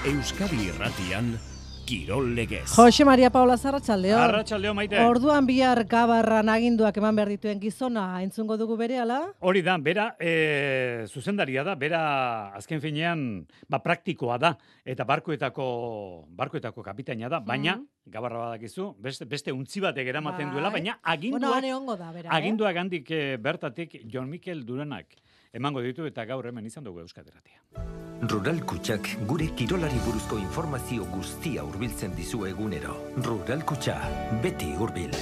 Euskadi Irratian, Kirol Legez. Jose Maria Paula Arratsaldeon. Arratsaldeon, Maite. Orduan bihar Gabarran aginduak eman behar dituen gizona entzungo dugu berehala? Hori da, bera zuzendaria da, bera azken finean praktikoa da, eta barkoetako kapitaina da, baina, Gabarra badakizu, beste untzi batek eramaten duela, baina aginduak handik bertatik Jon Mikel Duranak emango ditu eta gaur hemen izan dugu Euskadi Irratia. Rural Kutxak gure kirolari buruzko informazio guztia hurbiltzen dizu egunero. Rural Kutxa, beti hurbil.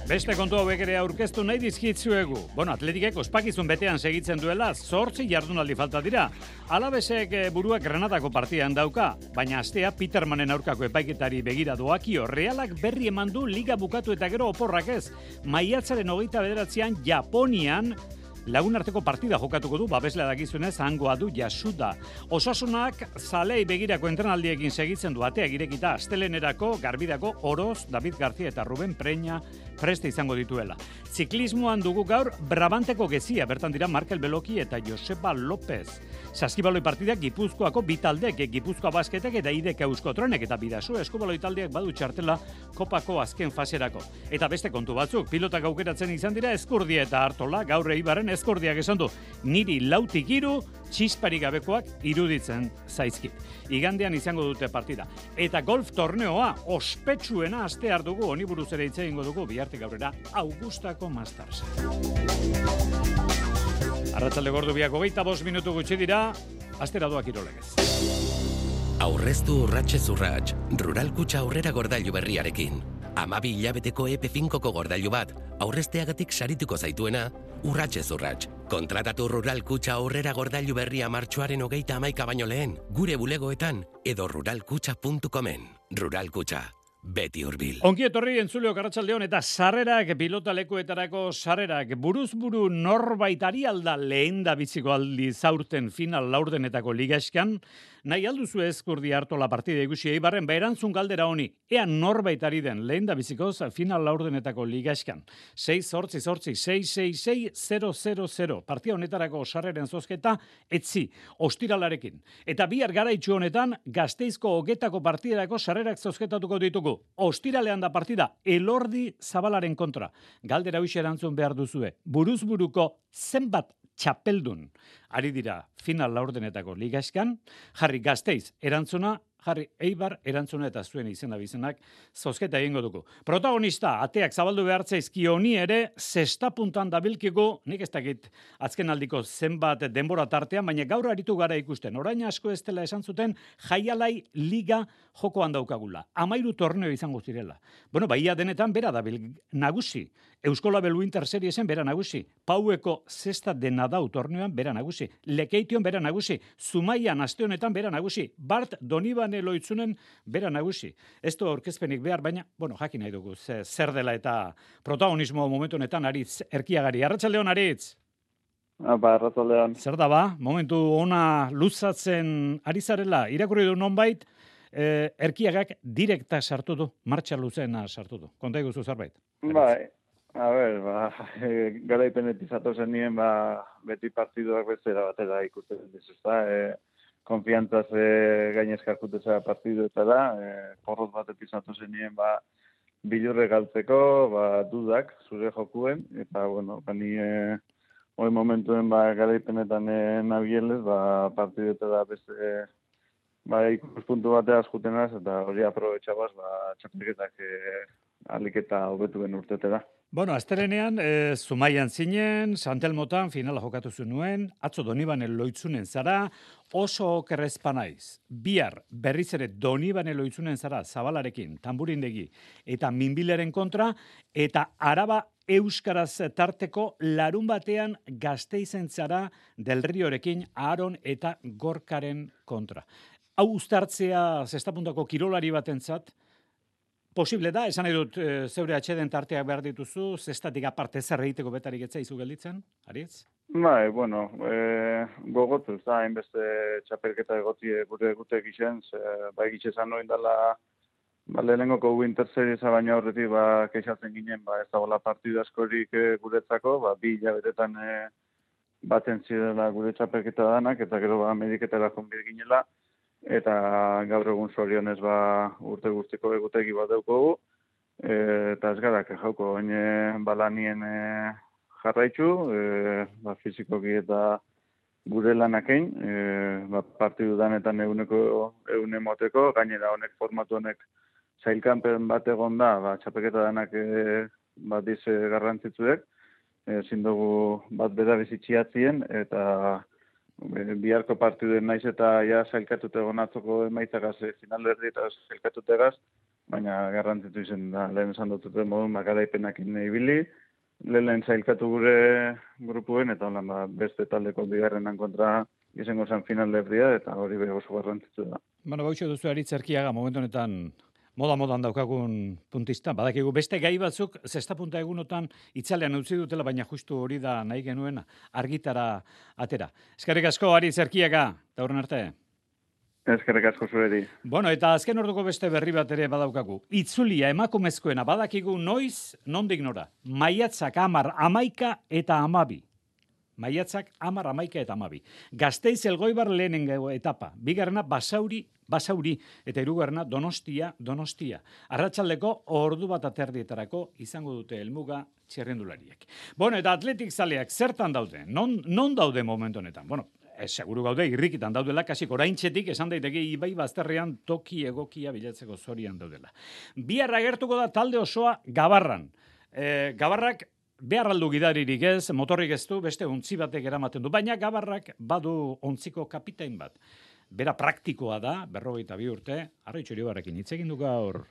Beste kontu hauek ere aurkeztu nahi dizkitzuegu. Atletikek ospakizun betean segitzen duela, 8 jardunaldi falta dira. Alabesek buruak Granadako partidan dauka, baina astea Petermanen aurkako epaiketari begira doakio. Realak berri eman du liga bukatu eta gero oporrak ez. Maiatzaren 29an Japonian lagun arteko partida jokatuko du, babeslea dakizunez, hangoa du Yasuda. Osasunak zalei begirako entrenaldiekin segitzen du, ateak irekita astelenerako, Garbidako, Oroz, David García eta Ruben Preña preste izango dituela. Ziklismoan dugu gaur Brabanteko gezia, bertan dira Markel Beloki eta Joseba López. Saskibaloi partidak Gipuzkoako bitaldek, Gipuzkoa Basketek eta Idek Euskotronek eta Bidaso Eskubaloi taldeak badu txartela kopako azken faserako. Eta beste kontu batzuk, pilotak aukeratzen izan dira Eskurdia eta Artola, gaur Eibarren Eskurdiak esan du, niri 4-3 txisparik gabekoak iruditzen zaizkit. Igandean izango dute partida. Eta golf torneoa ospetsuena astear dugu, honi buruz ere hitz egingo dugu, bihartik aurrera Augustako Masters. Arratsalde gordu biak 25 minutu gutxi dira, astera doa Kirol Legez. Aurreztu urratsez urrats, Rural Kutxa aurrera gordailu berriarekin. 12 hilabeteko EP5ko gordailu bat, aurrezteagatik sarituko zaituena, urratsez urrats. Kontratatu Rural Kutxa aurrera gordailu berria martxoaren 31 baino lehen, gure bulegoetan edo ruralkutxa.comen. Rural Kutxa, beti hurbil. Ongi etorri entzuleok arratsaldeon eta sarrerak, pilota lekuetarako sarrerak, buruz-buru norbaitari alda lehen da biziko aldi zaurten final laurdenetako ligaxkan, nahi alduzu Eskurdia Artola partida ikusi Eibarren, erantzun galdera honi, ea norbaitari den lehen da bizikoz final laurdenetako ligaxkan. 6-8-6-6-6-6-0-0-0. Partida honetarako sarreren zozketa, etzi, ostiralarekin. Eta bihar garaitxu honetan, Gasteizko Ogetako partidarako sarrerak zozketatuko ditugu. Ostiralean da partida, Elordi Zabalaren kontra. Galdera hoxe erantzun behar duzue. Buruz-buruko zenbat txapeldun ari dira final laurdenetako ligaxkan, jarri Gasteiz erantzuna, jarri Eibar erantzuna eta zuen izena bizenak zozketa egingo dugu. Protagonista, ateak zabaldu behartzaizki honi ere, zestapuntan dabilkigu, nik ez dakit azken aldiko zenbat denbora tartean, baina gaur aritu gara ikusten. Orain asko ez dela esan zuten, Jaialai Liga jokoan daukagula. 13 torneo izango zirela. Baia denetan bera dabil nagusi. Euskolabel Winter Seriesen bera nagusi. Paueko zesta dena dau torneoan bera nagusi. Lekeition bera nagusi. Zumaian aste honetan bera nagusi. Bart Donibane Loitzunen bera nagusi. Ez du aurkezpenik behar, baina, jakin nahi dugu, zer dela eta protagonismo momentu honetan Aritz Erkiagari. Arratsaldeon Aritz. Arratsaldeon. Zer da momentu ona luzatzen ari zarela, irakurri du nonbait, Erkiagak direkta sartu du, martxa luzena sartu du. Konta iguzu zerbait? Bai, garaipenetik zatozen nien, beti partiduak bezera batera ikusten dizuzta, konfiantzaz gainezka jarkuteza partiduetara, porroz batetik zatozen nien, bilurre galtzeko, dudak zure jokuen, eta, ni hori momentuen garaipenetan nabielez, partiduetara beste ikuspuntu bateaz jutenaz, eta hori aprobetxabaz, txapelketak aliketa hobetu ben urtetera. Astelenean, Zumaian zinen, Santelmotan finala jokatu zuen, atzo Donibane Loitzunen zara, oso okerrezpa naiz. Bihar berriz ere Donibane Loitzunen zara, Zabalarekin, Tamburindegi eta Minbileren kontra, eta Araba Euskaraz tarteko larun batean Gasteizen zara Del Riorekin, Aaron eta Gorkaren kontra. Hau uztartzea zestapuntako kirolari batentzat, posible da, esan nahi dut zeure atxeden tarteak behar dituzu, zestatik aparte zer egiteko betarik etzaizu gelditzen, Aritz? Gogotu, ez da, hainbeste txapelketa egotie gure gixen, gixezan noin dela, lehenengoko Winter Seriesa baina horretik, keixatzen ginen, ez dagoela partidu askorik guretzako, 2 hilabetetan baten zirela gure txapelketa danak, eta gero Ameriketara konbir ginela, eta gaur egun zorionez urte guztiko egutegi bat daukogu, eta ez gara jauko, balanien jarraitzu, fizikoki eta gure lanakein, partidu danetan eune moteko, gainera honek formatu honek zailkanpen bat egon da, txapeketa danak bat garrantzitzuek, ezin dugu bat beda bizitxiatzien, eta biharko partiduen naiz eta zailkatute egon atzoko emaitzagaz, finalerdi eta zailkatutegaz, baina garrantzitu izen da, lehen esan dututen modun, garaipenakin ibili, lehen zailkatu gure grupuen, eta beste taldeko bigarrenan kontra izango zen finalerdia, eta hori oso garrantzitu da. Bueno, bautxo duzu Aritz Erkiaga, momentu honetan modan daukagun puntista. Badakigu beste gai batzuk, zesta punta egunotan itzalean utzi dutela, baina justu hori da nahi genuen argitara atera. Eskerrik asko Aritz Erkiaga, eta horren arte. Eskerrik asko zureri. Bueno, eta azken orduko beste berri bat ere badaukagu. Itzulia emakumezkoena badakigu noiz, nondik nora. Maiatzak 10, 11 eta 12. Maiatzak 10, 11 eta 12. Gasteiz Elgoibar lehenengo etapa. Bigarrena Basauri, eta hirugarrena Donostia. Arratsaldeko ordu bat aterdietarako izango dute helmuga txirrindulariek. Bueno, eta atletik zaleak zertan daude? Non daude momentu honetan? Bueno, seguru gaude irrikitan daudela, kasik oraintxetik esan daiteke Ibai bazterrean toki egokia bilatzeko zorian daudela. Bihar agertuko da talde osoa Gabarran. Gabarrak behar aldu gidaririk ez, motorrik ez du, beste ontzi batek eramaten du, baina Gabarrak badu ontziko kapitain bat. Bera praktikoa da, 42 urte, Arritxu Iribarrekin hitz egin du gaur.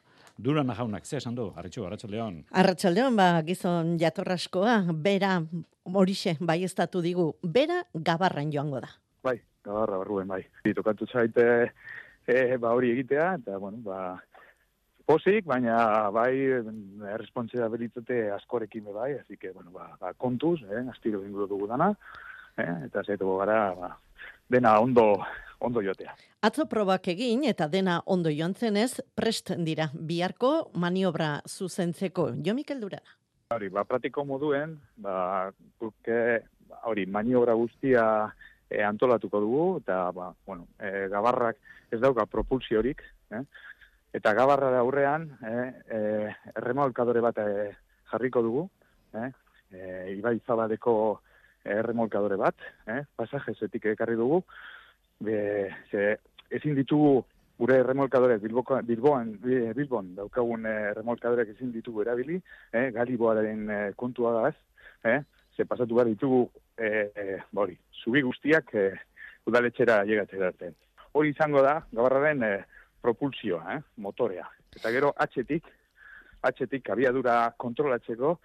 Durana jaunak, ze esan du, Arritxu, Arratsaldeon. Arratsaldeon, gizon jatorraskoa, bera horixe baieztatu digu, bera Gabarran joango da. Bai, Gabarra barruen, bai. Tokatu zaite hori egitea, eta, posik, baina bai errespontsabilitate askorekin bai, así que, kontuz, astiro inguruko dugu dana, eta zaituko gara, dena ondo jotea. Atzo probak egin eta dena ondo joan zenez, prest dira biharko maniobra zuzentzeko. Jo Mikel Durana. Hori, pratiko moduen, hori, maniobra guztia antolatuko dugu, eta, Gabarrak ez dauka propulsiorik, eta Gabarra aurrean erremolkadore bat jarriko dugu, Ibai Zabadeko erremolkadore bat, pasajezetik ekarri dugu, ezin ditugu gure erremolkadorek Bilbon daukagun erremolkadorek ezin ditugu erabili, Galiboaren kontua da ze pasatu behar ditugu zubi guztiak udaletxera llegatzera arte. Hori izango da, Gabarraren propulsioa, motorea. Eta gero atxetik abiadura kontrolatzeko,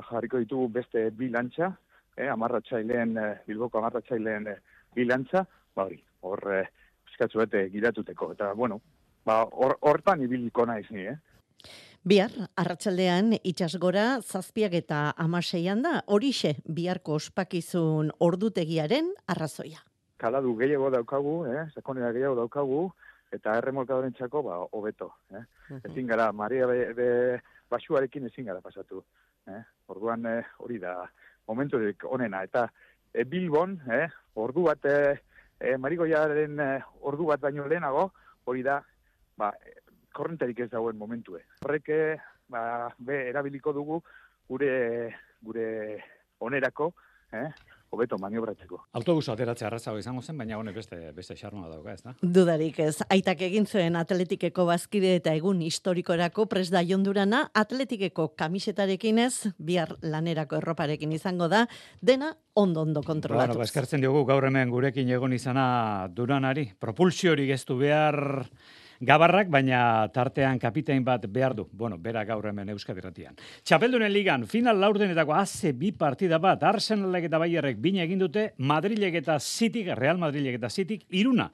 jarriko ditugu beste bi lantxa, Bilboko amarratzaileen bilantza, hor eskatzu bete giratuteko. Eta, hortan ibiliko naiz ni, Bihar, arratsaldean itxasgora 7 eta 16 da, horixe biharko ospakizun ordutegiaren arrazoia. Kaladu gehiago daukagu, sakonera gehiago daukagu, eta erremolkadorentzako hobeto. Ezin gara, marea basuarekin ezin gara pasatu. Orduan hori da momenturik onena. Eta Bilbon, ordu bat, Marigoiaren ordu bat baino lehenago, hori da, korrenterik ez dagoen momentue. Horrek erabiliko dugu gure onerako, hobeto maniobratzeko. Autobuso ateratzea arrazago izango zen, baina honek beste xarnoa dauka, ez da? Dudarik ez. Aitak egin zuen Atletikeko bazkide eta egun historikorako prest da Jon Durana, Atletikeko kamisetarekin ez, bihar lanerako erroparekin izango da, dena ondo kontrolatuz. Eskertzen diogu gaur hemen gurekin egon izana Duranari. Propulsiorik ez du behar Gabarrak, baina tartean kapitain bat behar du. Bera gaur hemen Euskadi Irratian. Txapeldunen ligan, final laurdenetako haze 2 partida bat, Arsenalek eta Bayerrek bina egin dute, Madrilek eta Cityk, Real Madrilek eta Cityk, 1.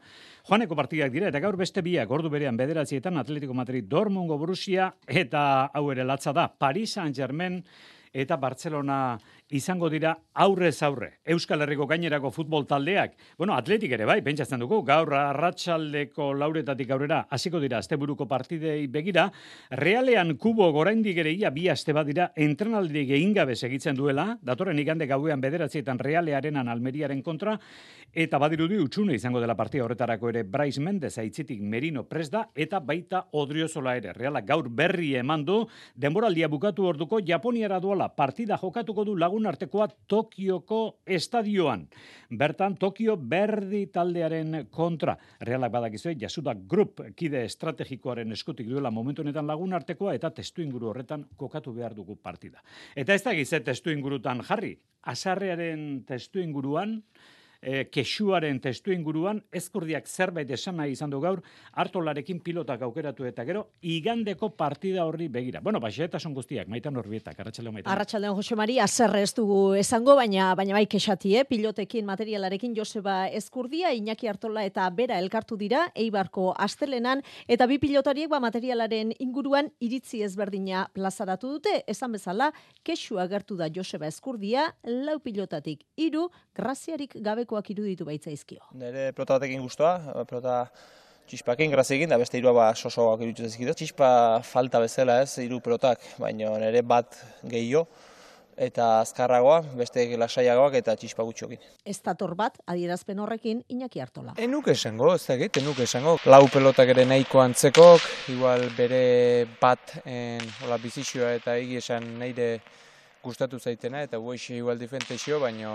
Joaneko partidak dira, eta gaur beste biak, ordu berean 9:00 Atletico Madrid, Dortmungo Borussia, eta hau ere latza da, Paris Saint-Germain eta Barcelona izango dira aurrez aurre. Euskal Herriko gainerako futbol taldeak, Atletik ere bai, pentsatzen dugu, gaur arratsaldeko lauretatik aurrera hasiko dira asteburuko partidei begira, Realean Kubo oraindik ere ia bi aste badira entrenaldirik egin gabe segitzen duela, datorren igande gauean 9 Realearenan Almeriaren kontra, eta badirudi utxune izango dela partida horretarako ere Brais Mendez aitzitik Merino prest da, eta baita Odriozola ere. Realak gaur berri eman du, denboraldia bukatu orduko Japoniara doala partida jokatuko du lagun artekoa Tokioko estadioan. Bertan Tokio berdi taldearen kontra. Realak badakizue, Yasuda Group kide estrategikoaren eskutik duela momentu honetan lagun artekoa eta testu inguru horretan kokatu behar dugu partida. Eta ez da gize testu ingurutan jarri. Azarrearen testu inguruan, kexuaren testu inguruan, Ezkurdiak zerbait esan nahi izan du gaur, Artolarekin pilotak aukeratu eta gero, igandeko partida horri begira. Xehetasun guztiak, Maitan Orbietak, arratsaldeon Maitan. Arratsaldeon Jose Mari, azerre ez dugu esango, baina bai kexati, pilotekin, materialarekin Joseba Ezkurdia, Iñaki Artola eta Bera elkartu dira, Eibarko astelenan, eta bi pilotariek materialaren inguruan iritzi ezberdina plazaratu dute, esan bezala, kexu agertu da Joseba Ezkurdia, 4 pilotatik 3, graziarik gabeko iruditu baitzaizkio. Nere pelota batekin guztua, pelota txispakin, graziekin, da beste 3 sosoak iruditu zaizkito. Txispa falta bezala 3 pelotak, baina nere bat gehiago, eta azkarragoa, beste lasaiagoak eta txispa gutxokin. Ez dator bat, adierazpen horrekin, Iñaki Artola. Enuk esango, ez da egit, enuk esango. 4 pelotak ere nahiko antzekok, igual bere bat bizizioa eta egi esan nahire gustatu zaitena, eta guaixe igual difentexio, baina,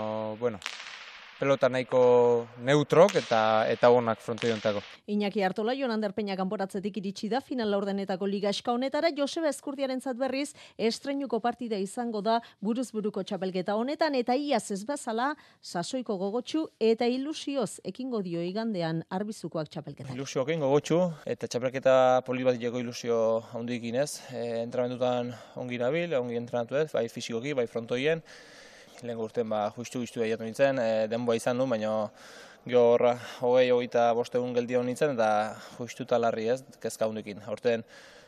pelota nahiko neutrok eta onak frontoiontako. Iñaki Artola, Jon Ander Peña kanporatzetik iritsi da final laurdenetako ligaxka honetara, Joseba Ezkurdiarentzat berriz estreinuko partida izango da buruz-buruko txapelketa honetan, eta iaz ez bezala sasoiko gogotsu eta ilusioz ekingo dio igandean arbizukoak txapelketa. Ilusioekin gogotsu eta txapelketa poli bat ileko ilusio handikin ez. Entrenamendutan ongi nabil, ongi entrenatu ez, bai fisikoki, bai frontoien. Lehen urten justu daiatu nintzen, denboa izan du, baina gaur 20-25 egun geldia nintzen, eta justu talarri ez, kezka hundikin. Horten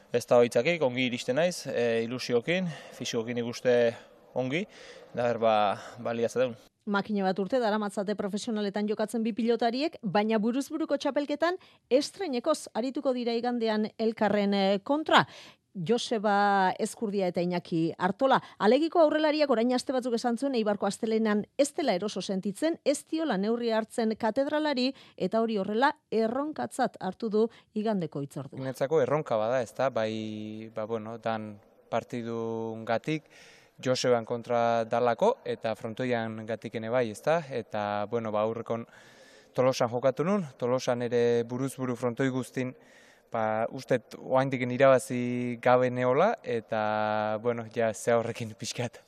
ez da hoitzakik, ongi iristen naiz, ilusiokin, fisikokin ikuste ongi, da balia zadeun. Makina bat urte daramatzate profesionaletan jokatzen bi pilotariek, baina buruz-buruko txapelketan estreinekoz arituko dira igandean elkarren kontra. Joseba Ezkurdia eta Iñaki Artola. Alegiko aurrelariak orain aste batzuk esan zuen Eibarko astelenan ez dela eroso sentitzen, ez diola neurri hartzen katedralari, eta hori horrela erronkatzat hartu du igandeko hitzordua. Netzako erronka bada, ez da, dan partidungatik Joseban kontra dalako eta frontoian gatikene bai, ez da, eta aurrekon Tolosan jokatu nun, Tolosan ere buruz-buru frontoi guztin ustet oaindiken irabazi gabe neola, eta, ze horrekin pixkat,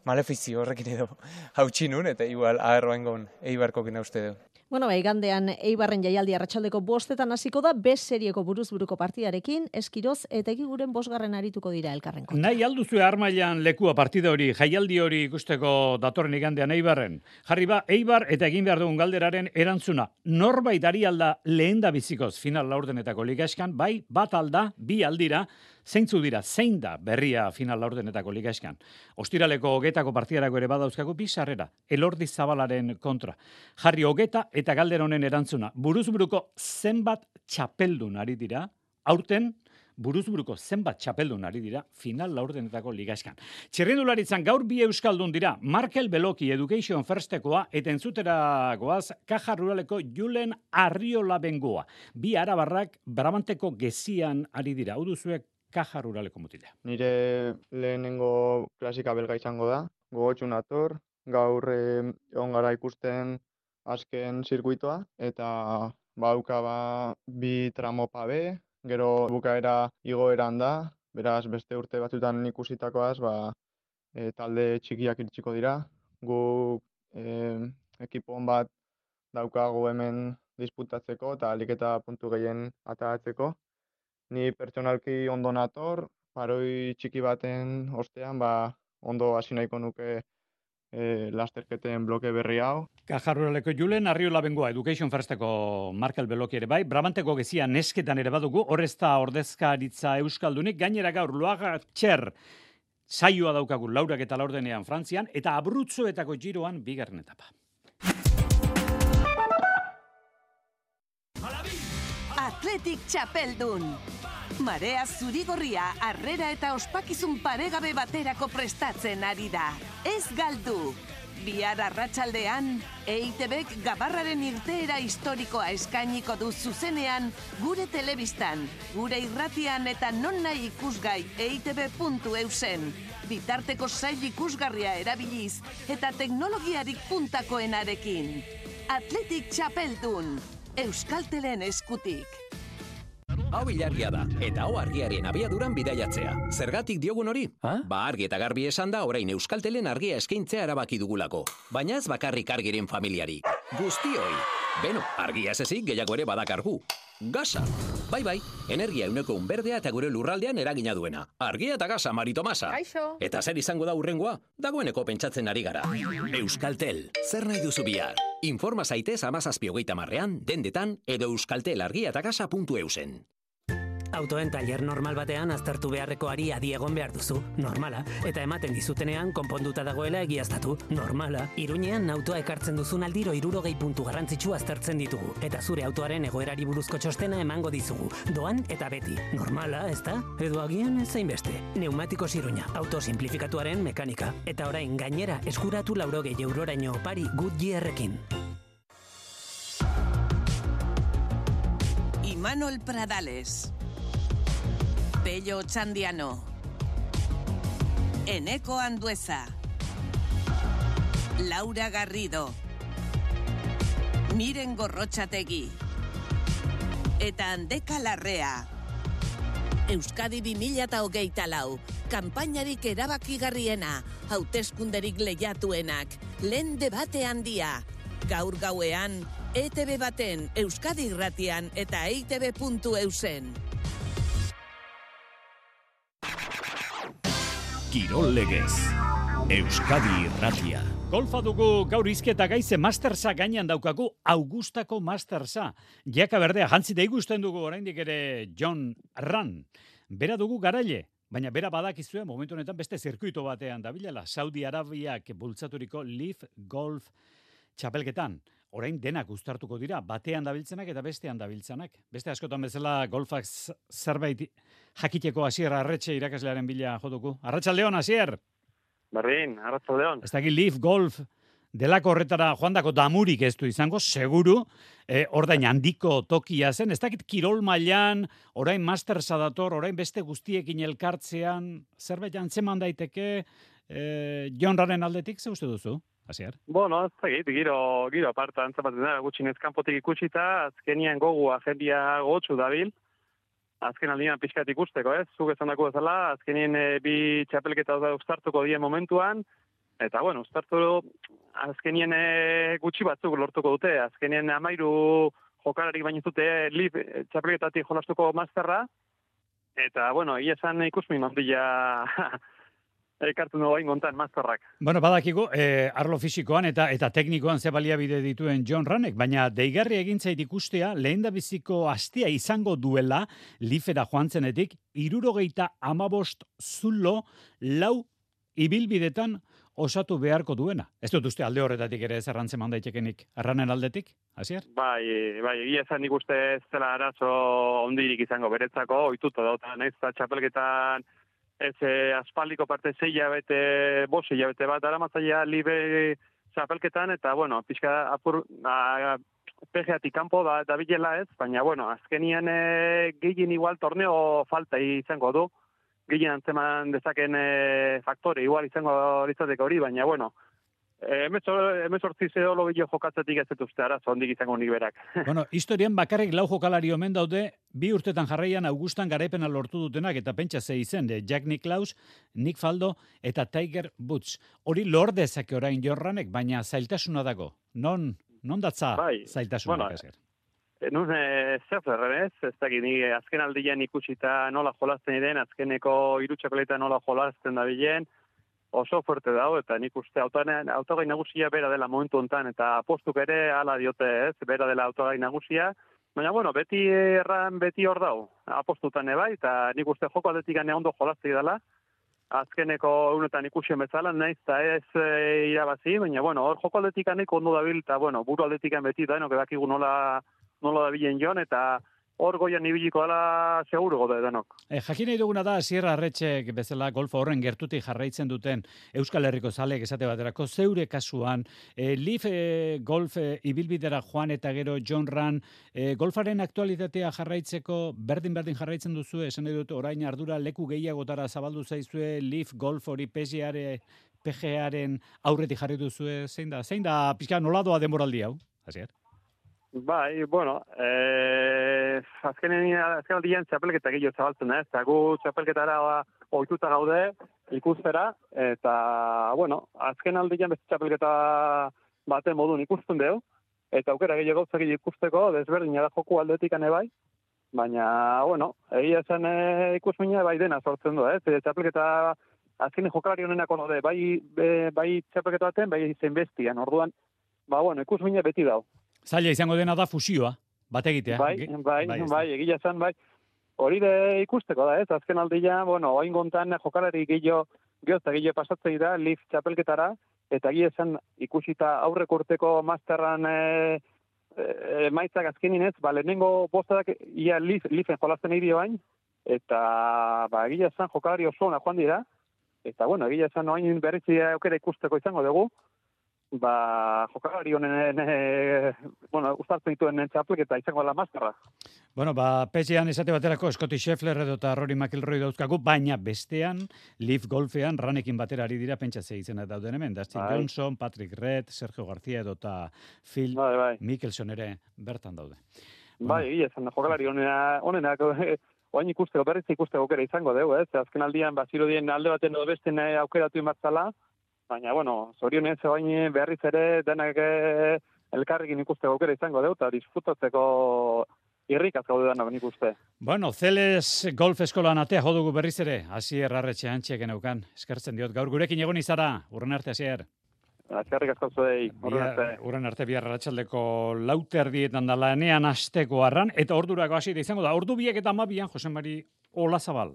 malefizio horrekin edo hautsi nun, eta igual aherroengon Eibarkokin uste du. Igandean Eibarren jaialdi arratsaldeko 5 hasiko da, B serieko buruz-buruko partidarekin, Eskiroz eta Egiguren 5. arituko dira elkarren kontra. Nahi alduzue armailan lekua partida hori, jaialdi hori ikusteko datorren igandean Eibarren. Jarri Eibar eta egin behar dugun galderaren erantzuna. Norbait ari alda lehen da bizikoz final laurdenetako ligaxkan, bai, bat alda, bi aldira, zeintzu dira, zein da berria final laurdenetako ligaxkan. Ostiraleko 20 partidarako ere badauzkagu bi sarrera, Elordi Zabalaren kontra. Jarri 20 eta galdera honen erantzuna. Buruz-buruko zenbat txapeldun ari dira, aurten buruz-buruko zenbat txapeldun ari dira final laurdenetako ligaxkan. Txirrindularitzan gaur bi euskaldun dira, Markel Beloki Education Firstekoa eta entzuteragoaz Kaja Ruraleko Julen Arriola Bengoa. Bi arabarrak Brabanteko Gezian ari dira. Hau duzuek Kaja Ruraleko mutila. Nire lehenengo klasika belga izango da, gogotsu nator, gaur egon gara ikusten azken zirkuitoa, eta bauka bi tramo pabe, gero bukaera igoeran da, beraz beste urte batzutan ikusitakoaz, talde txikiak iritsiko dira, guk ekipon bat daukagu hemen disputatzeko eta ahalik eta puntu gehien ateratzeko. Ni pertsonalki ondo nator, paroi txiki baten ostean, ondo hasi nahiko nuke lasterketen bloke berri hau. Kaja Ruraleko Julen Arriola Bengoa Education Firsteko Markel Beloki ere bai, Brabanteko Gezia nesketan ere badugu, horrez da ordezkaritza euskaldunik, gainera gaur Loaga Txer Saioa daukagu 4:04 Frantzian, eta Abruzzoetako Giroan 2. etapa. Atletik txapeldun. Marea zurigorria harrera eta ospakizun paregabe baterako prestatzen ari da. Ez galdu! Bihar arratsaldean, EITBek Gabarraren irteera historikoa eskainiko du zuzenean, gure telebistan, gure irratian eta non nahi ikusgai eitb.eusen. Bitarteko sail ikusgarria erabiliz eta teknologiarik puntakoenarekin. Atletik txapeldun, Euskaltelen eskutik. Hau ilargia da, eta hau argiaren abiaduran bidaiatzea. Zergatik diogun hori? Ba argi eta garbi esan da orain Euskaltelen argia eskaintzea erabaki dugulako. Baina ez bakarrik argiren familiari. Guztioi. Beno, argia ez ezik gehiago ere badakargu. Gasa. Bai, energia 100% berdea eta gure lurraldean eragina duena. Argia eta gasa, Mari Tomasa. Kaixo. Eta zer izango da hurrengoa? Dagoeneko pentsatzen ari gara. Euskaltel, zer nahi duzu bihar? Informa zaitez 17:30 dendetan edo euskaltelargiatagasa.eusen. Autoen tailer normal batean aztertu beharreko ari adi egon behar duzu, normala, eta ematen dizutenean konponduta dagoela egiaztatu, normala. Iruñean autoa ekartzen duzun aldiro 60 puntu garrantzitsu aztertzen ditugu, eta zure autoaren egoerari buruzko txostena emango dizugu, doan eta beti, normala, ezta? Edo agian ez zainbeste. Neumatikos Iruña, auto simplifikatuaren mekanika, eta orain gainera eskuratu 80 euroraino opari Goodyearrekin. Imanol Pradales. Pello Txandiano, Eneko Andueza, Laura Garrido, Miren Gorrotxategi, eta Andeka Larrea. Euskadi 2024, kanpainarik erabakigarriena, hauteskunderik lehiatuenak, lehen debate handia, gaur gauean, ETB baten, Euskadi irratian eta eitb.eusen. Kirol legez, Euskadi irratia. Golfa dugu gaur izketa gaize Mastersa gainean daukagu, Augustako Mastersa. Jaka berdea, jantzi da igusten dugu oraindik ere John Ram. Bera dugu garaile, baina bera badakizue momentu honetan beste zirkuito batean dabilela, Saudi Arabiak bultzaturiko Leaf Golf txapelketan. Orain denak uztartuko dira, batean dabiltzenak eta bestean dabiltzenak. Beste askotan bezala golfak zerbait jakiteko Asier Arretxe irakaslearen bila joduku. Arratsaldeon, Asier! Berdin, arratsaldeon. Ez dakit Leaf Golf delako horretara joandako damurik ez du izango, seguru, ordain handiko tokia zen. Ez dakit kirol mailan, orain Mastersa dator, orain beste guztiekin elkartzean, zerbait antzeman daiteke, John Ramren aldetik, ze uste duzu? Asier? Bueno, ez dakit, giro aparta antzamaten da, gutxinez kanpotik ikusita, azkenian gogu agendia gotxu dabil, azken aldian pixkat ikusteko, ez? Zuk esan dako bezala, azkenien bi txapelketa uztartuko dien momentuan, eta bueno, uztartu azkenien gutxi batzuk lortuko dute, azkenien 13 jokalarik baino dute Leaf txapelketatik jolastuko Masterra, eta bueno, esan ikusmin handia ekartu nagoa ingontan Masterrak. Bueno, badakigu, arlo fisikoan eta teknikoan ze baliabide dituen John Ramek, baina deigarri egin zait ikustea, lehendabiziko astea izango duela, Leafera joan zenetik, 75 zulo 4 ibilbidetan osatu beharko duena. Ez dut uste alde horretatik ere zerrantzen mandaitekenik Ramen aldetik, Asier? Bai, egia esan nik uste ez zela arazo ondirik izango beretzako, ohituta dauta, naiz eta txapelketan ez aspaldiko parte 6 hilabete, 5 hilabete bat aramatzaia libe txapelketan, eta bueno, pixka apur PGAtik kanpo da bilela ez, baina bueno, azkenian gehien igual torneo falta izango du, gehien antzeman dezaken faktore, igual izango litzateko hori, baina bueno, emezortzi zeolo gehiago jokatzetik ez dut uste arazo ondik izango nik berak. Bueno, historian bakarrik 4 jokalari omen daude, 2 urtetan jarraian Augustan garaipena lortu dutenak, eta pentsa ze izen, Jack Nicklaus, Nick Faldo eta Tiger Woods. Hori lor dezake orain Jorranek, baina zailtasuna dago. Non datza zailtasunak esker? Nun zer ez dakit, ni azken aldian ikusita nola jolazten den, azkeneko 3 txapelketa nola jolazten da bilen, oso fuerte dago, eta nik uste autogai nagusia bera dela momentu hontan, eta apostuk ere hala diote ez, bera dela autogai nagusia, baina bueno, beti hor dago, apostutan bai, eta nik uste joko aldetik ondo jolazte dela, azkeneko unetan ikusien bezala, naiz eta ez irabazi, baina, bueno, hor joko aldetikan ondo dabil, eta, bueno, buru aldetikan beti da, dakigu nola dabilen joan, eta hor goian ibiliko dela seguru gode denok. Jakin nahi duguna da, Sierra Arretxek bezala golf horren gertutik jarraitzen duten Euskal Herriko zaleek esate baterako, zeure kasuan, Leaf golf ibilbidera joan eta gero John Ran, golfaren aktualitatea jarraitzeko berdin jarraitzen duzu, esan nahi dut orain ardura leku gehiagotara zabaldu zaizue, Leaf golf hori PGAren aurretik jarri duzue, zein da pixka noladoa denboraldi hau? Hasier? Bai, bueno, azken aldian txapelketa gehiago zabaltzen, eta gu txapelketara ohituta gaude ikustera, eta, bueno, azken aldian beste txapelketa baten modun ikusten dugu, eta aukera gehiago gauzak ikusteko, desberdina da joku aldetik bai, baina, bueno, egia zen ikusmina bai dena sortzen du, txapelketa azken jokalari honenak onode, bai txapelketa baten, bai zen bestian, orduan, bueno, ikusmina beti dau. Zaila izango dena da fusioa, bat egitea. Bai, egia zen, bai. Hori de ikusteko da, azken aldia, bueno, oain gontan jokalari gehiago pasatzei da, Leaf txapelketara, eta egia zen ikusita aurreko urteko masterran maitzak azkeninez, lehenengo bostadak ia Leafen jolazten egin bain, eta egia zen jokalari oso ona joan dira, eta bueno, egia zen oain berrizia aukera ikusteko izango dugu, jokalari honen, ustartzen dituen txapelketa izango dela masterra. Bueno, PGAan esate baterako Scottie Scheffler edo eta Rory McIlroy dauzkagu, baina bestean, Leaf Golfean, Ranekin batera ari dira pentsatze izena dauden hemen. Dustin Johnson, Patrick Reed, Sergio García edo eta Phil Mickelson ere bertan daude. Egia esan, jokalari honenak, oain ikusteko, berriz ikusteko aukera izango dugu, azken aldian, zirudien alde baten edo besten aukeratu imartzala, baina, bueno, zorionez oain berriz ere denak elkarrekin ikusteko aukera izango dugu, eta disfrutatzeko irrikaz gaude denak nik uste. Bueno, Zeles Golf Eskolan atea jodugu berriz ere, Hasier Arretxe antxeken eukan, eskertzen diot, gaur gurekin egon izara, urren arte, Hasier. Azkarrik asko zuei, urren arte bihar arratsaldeko 4:00 da lanean asteko arran, eta ordurako hasi da izango da, ordu 2:12 Jose Mari Olazabal.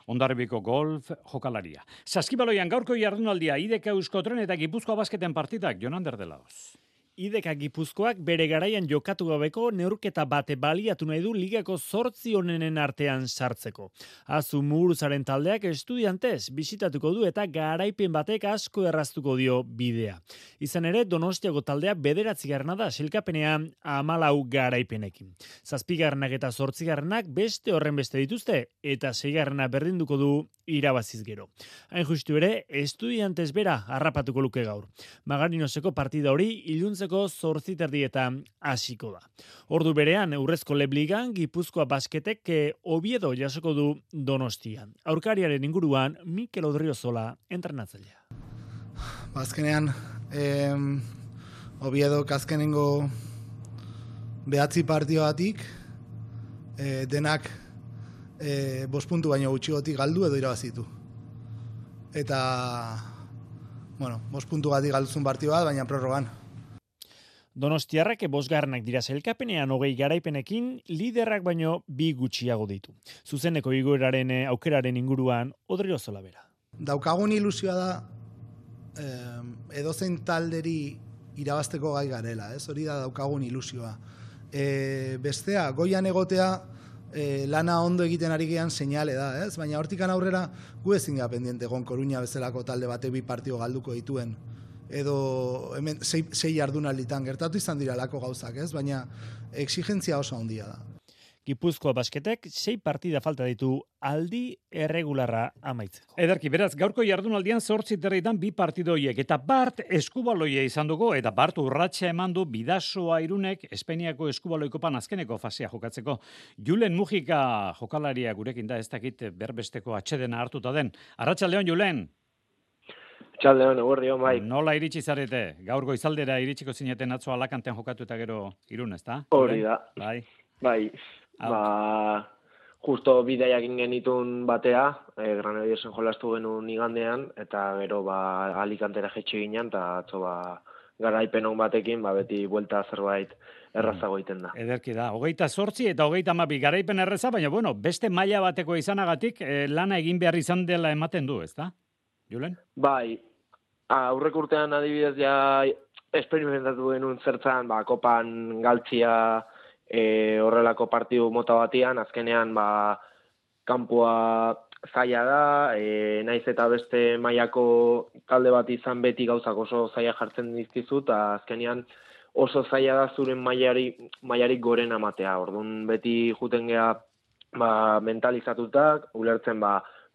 Hondarribiko golf jokalaria. Saskibaloian gaurko jardunaldia IDK Euskotren eta Gipuzkoa Basketen partidak, Jonander de Laos. IDK Gipuzkoak bere garaian jokatu gabeko neurketa bate baliatu nahi du ligako 8 onenen artean sartzeko. Azu Muguruzaren taldeak Estudiantes bisitatuko du eta garaipen batek asko erraztuko dio bidea. Izan ere, Donostiako taldea 9. da sailkapenean 14 garaipenekin. 7. eta 8. beste horren beste dituzte eta 6. berdinduko du irabaziz gero. Hain justu ere, Estudiantes bera harrapatuko luke gaur. Magarinoseko partida hori iluntzeko 8:30 hasiko da. Ordu berean, Urrezko Lebligan, Gipuzkoa Basketek Oviedo jasoko du Donostian. Aurkariaren inguruan, Mikel Odriozola entrenatzailea. Azkenean, Oviedo azkenengo 9 partioatik, denak 5 puntu baino gutxigotik galdu edo irabazitu. Eta, 5 puntu gatik galduzun partio bat, baina prorrogan. Donostiarrak 5. dira sailkapenean 20 garaipenekin, liderrak baino 2 gutxiago ditu. Zuzeneko igoeraren aukeraren inguruan Odriozola bera. Daukagun ilusioa da edozein talderi irabazteko gai garela, hori da daukagun ilusioa. Bestea, goian egotea lana ondo egiten ari gean seinale da, baina hortikan aurrera gu ezin gara pendiente egon Koruña bezalako talde bate 2 partio galduko dituen. Edo hemen 6 jardunalditan gertatu izan dira lako gauzak, baina exigentzia oso handia da. Gipuzkoa Basketek 6 partida falta ditu aldi erregularra amaitzeko. Ederki, beraz, gaurko jardunaldian 8:30 2 partido horiek, eta Bart eskubaloia izan dugu, eta Bart urratsa eman du Bidasoa Irunek Espainiako eskubaloikopan azkeneko fasea jokatzeko. Julen Mujika jokalaria gurekin da, ez dakit berbesteko atsedena hartuta den. Arratsaldeon, Julen. Txaldeon, eguerdion, bai. Nola iritsi zarete? Gaur goizaldera iritsiko zineten atzo Alakantean jokatu eta gero Irun, ezta? Hori da. Bai. Justo bidaiak genitun batea, Granadiersen jolastu genuen igandean, eta gero Alicantera jetxe ginen, eta atzo garaipen on batekin, beti buelta zerbait errazago egiten da. Ederki da, 28 eta 32 garaipen erreza, baina bueno, beste maila bateko izanagatik lana egin behar izan dela ematen du, ezta? Julen? Bai, aurrek urtean adibidez ja esperimentatu genuen zertzan, kopan galtzia horrelako partidu mota batian, azkenean kanpoa zaila da, naiz eta beste mailako talde bat izan beti gauzak oso zaila jartzen dizkizu, eta azkenean oso zaila da zuren mailarik goren amatea. Orduan beti juten gea mentalizatutak, ulertzen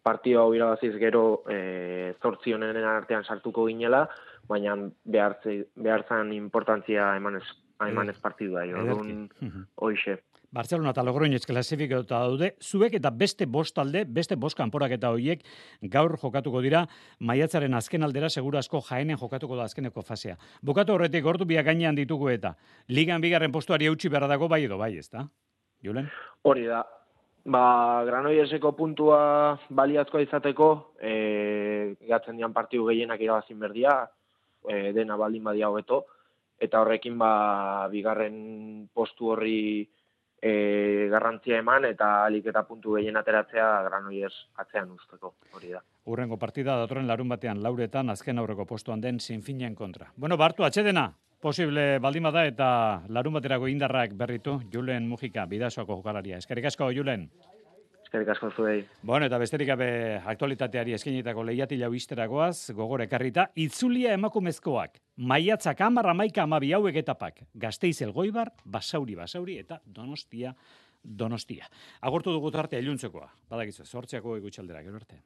partio hau irabaziz gero 8 honenen artean sartuko ginela, baina behar zan importantzia emanez partidua. Orduan hoixe. Barcelona eta Logroñez klasifikatuta daude, zuek eta beste bost talde, beste bost kanporaketa horiek gaur jokatuko dira, maiatzaren azken aldera seguru asko Jaenen jokatuko da azkeneko fasea. Bukatu horretik gordu biak gainean ditugu eta ligan bigarren postuari eutsi beharra dago bai edo bai, ezta? Julen? Hori da. Granolleseko puntua baliazkoa izateko, gatzen dian partidu gehienak irabazin berdia, dena baldin badia hobeto, eta horrekin bigarren postu horri garrantzia eman eta alik eta puntu gehien ateratzea Granollers atzean usteko, hori da. Urrengo partida datorren larun batean lauretan azken aurreko postuan den Sinfinen kontra. Bueno, Bartu, atxedena, posible baldin bada eta larun baterako indarrak berritu, Julen Mujika, Bidasoako jokalaria. Eskerrik asko, Julen. Eskerrik asko zuei. Bueno, eta besterik gabe aktualitateari eskenitako lehiatilau isteragoaz, gogor ekarrita, itzulia emakumezkoak, maiatzak 10, 11, 12 hauek etapak, Gasteiz Elgoibar, Basauri eta Donostia. Agortu dugu tartea iluntzekoa. Badakizu, 8 gutxaldera, gero arte.